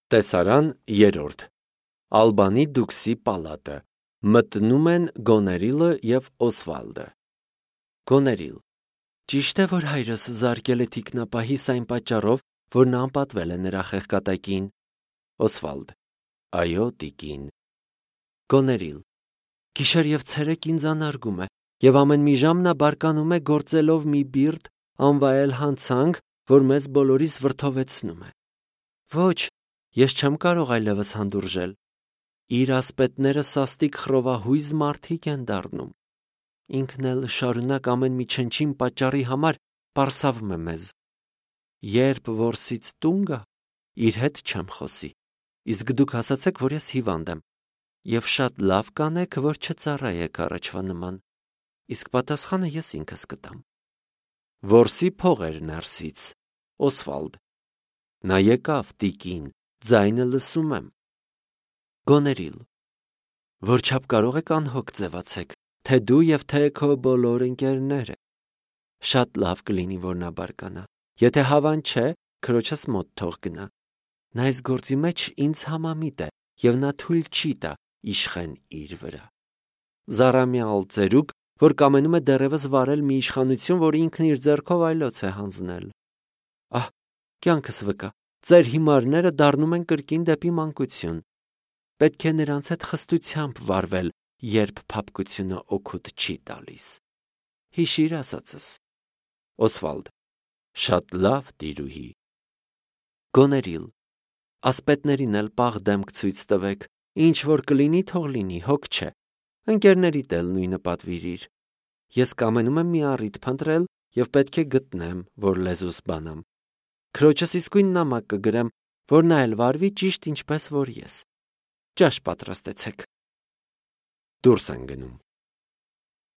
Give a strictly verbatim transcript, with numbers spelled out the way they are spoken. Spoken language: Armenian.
Տեսարան երրորդ Ալբանի դուքսի պալատը մտնում են Գոներիլը և Օսվալդը։ Գոներիլ. Ճիշտ է, որ հայրս զարկել է թիկնապահիս այն պատճառով, որ նա անպատվել է նրա խեղկատակին։ Օսվալդ. Այո, տիկին։ Գոներիլ. Գիշեր և ցերեկ ինձ անարգում է, և ամեն մի ժամ նա բարկանում է գործելով մի բիրտ անվայել հանցանք, որ մեզ բոլորիս վրդովեցնում է։ Ոչ, ես չեմ կարող այլևս հանդուրժել։ Իր ասպետները սաստիկ խռովահույզ մարդիկ են դառնում։ Ինքն էլ շարունակ ամեն մի չնչին պատճառի համար պարսավում է մեզ։ Երբ որսից տուն գա, իր հետ չեմ խոսի, իսկ դուք ասացեք, որ ես հիվանդ եմ, և շատ լավ կանեք, որ չծառայեք առաջվա նման, իսկ պատասխանը ես ինքս կտամ։ Որսի փողեր ներսից, Օսվալդ. Նա եկավ, տիկին, ձայնը լսում եմ։ Գոներիլ. Որչափ կարող եք անհոգ ձևացեք, թե դու և թե քո բոլոր ընկերները։ Շատ լավ կլինի, որ նա բարկանա, եթե հավան չէ, քրոջս մոտ թող գնա։ Նա այս գործի մեջ ինձ համամիտ է, և նա թույլ չի տա իշխեն իր վրա։ Զառամյալ ծերուկ, որ կամենում է դեռևս վարել մի իշխանություն, որ ինքն իր ձեռքով այլոց է հանձնել։ Ահ, կյանքս վկա, ձեր հիմարները դառնում են կրկին դեպի մանկություն։ Պետք է նրանց հետ խստությամբ վարվել, երբ փափկությունը օգուտ չի տալիս։ Հիշիր ասածս։ Օսվալդ. Շատ լավ, տիրուհի։ Գոներիլ. Ասպետներին էլ պաղ դեմք ցույց տվեք, ինչ որ կլինի, թող լինի, հոգ չէ։ Ընկերներիդ էլ նույնը պատվիրիր։ Ես կամենում եմ մի առիթ փնտրել և պետք է գտնեմ, որ լեզուս բանամ։ Քրոջս իսկույն նամակ կգրեմ, որ նա էլ վարվի ճիշտ ինչպես որ ես։ Ճաշ պատրաստեցեք։ Դուրս են գնում։